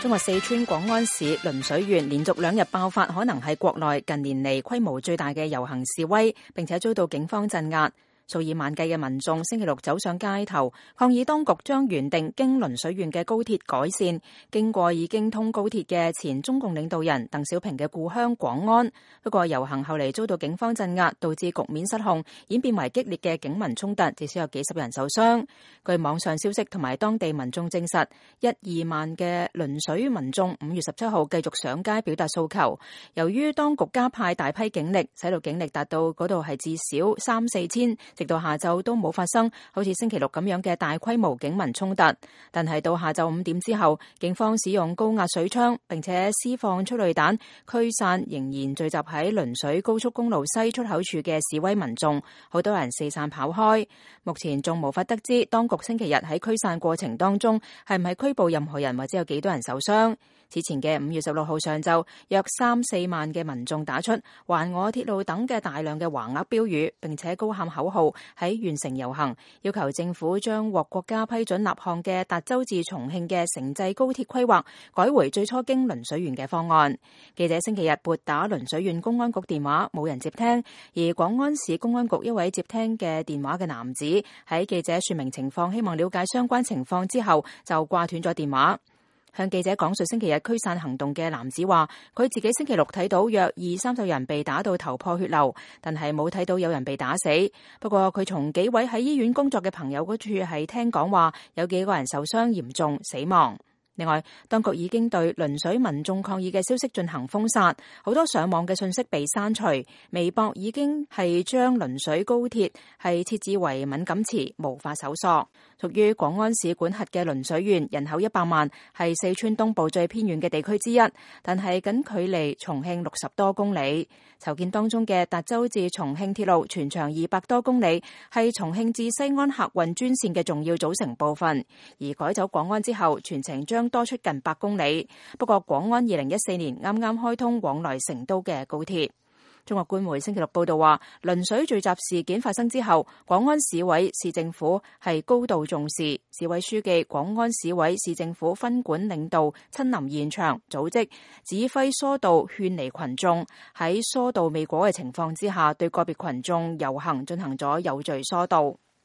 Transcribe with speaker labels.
Speaker 1: 中國四川廣安市輪水縣連續2日爆發可能係國內近年嚟規模最大嘅遊行示威，並且遭到警方鎮壓。數以萬計嘅民眾星期六走上街頭，抗議當局將原定經輪水縣嘅高鐵改線經過已經通高鐵嘅前中共領導人鄧小平嘅故鄉廣安。不過遊行後嚟遭到警方鎮壓，導致局面失控，演變為激烈嘅警民衝突，至少有幾十人受傷。據網上消息同埋當地民眾證實，1-2萬嘅輪水民眾5月17號繼續上街表達訴求。由於當局加派大批警力，使到警力達到嗰度係至少3-4千。直到下晝都冇發生好似星期六咁樣嘅大規模警民衝突，但係到下晝5點之後，警方使用高壓水槍並且施放催淚彈驅散仍然聚集喺輪水高速公路西出口處嘅示威民眾，好多人四散跑開。目前仲無法得知當局星期日喺驅散過程當中係唔係拘捕任何人或者有幾多人受傷。此前嘅5月16號上晝，約3-4萬嘅民眾打出還我鐵路等嘅大量嘅橫額標語，並且高喊口號喺縣城遊行，要求政府將獲國家批准立項嘅達州至重慶嘅城際高鐵規劃改回最初經輪水縣嘅方案。記者星期日撥打輪水縣公安局電話，冇人接聽，而廣安市公安局一位接聽嘅電話嘅男子喺記者說明情況，希望了解相關情況之後就掛斷咗電話。向記者講述星期日驅散行動嘅男子話，佢自己星期六睇到約20-30人被打到頭破血流，但係冇睇到有人被打死。不過佢從幾位喺醫院工作嘅朋友嗰處係聽講話，有幾個人受傷嚴重死亡。另外，當局已經對輪水民眾抗議嘅消息進行封殺，好多上網嘅信息被刪除。微博已經係將輪水高鐵係設置為敏感詞，無法搜索。屬於廣安市管轄嘅輪水縣，人口100萬，係四川東部最偏遠嘅地區之一，但係僅距離重慶60多公里。籌建當中嘅達州至重慶鐵路全長200多公里，係重慶至西安客運專線嘅重要組成部分。而改走廣安之後，全程將多出近100公里。不過廣安2014年啱啱開通往來成都嘅高鐵。中國官媒星期六報道話，輪水聚集事件發生之後，廣安市委市政府係高度重視，市委書記、廣安市委市政府分管領導親臨現場，組織指揮疏導勸離群眾。喺疏導未果嘅情況之下，對個別群眾遊行進行咗有序疏導。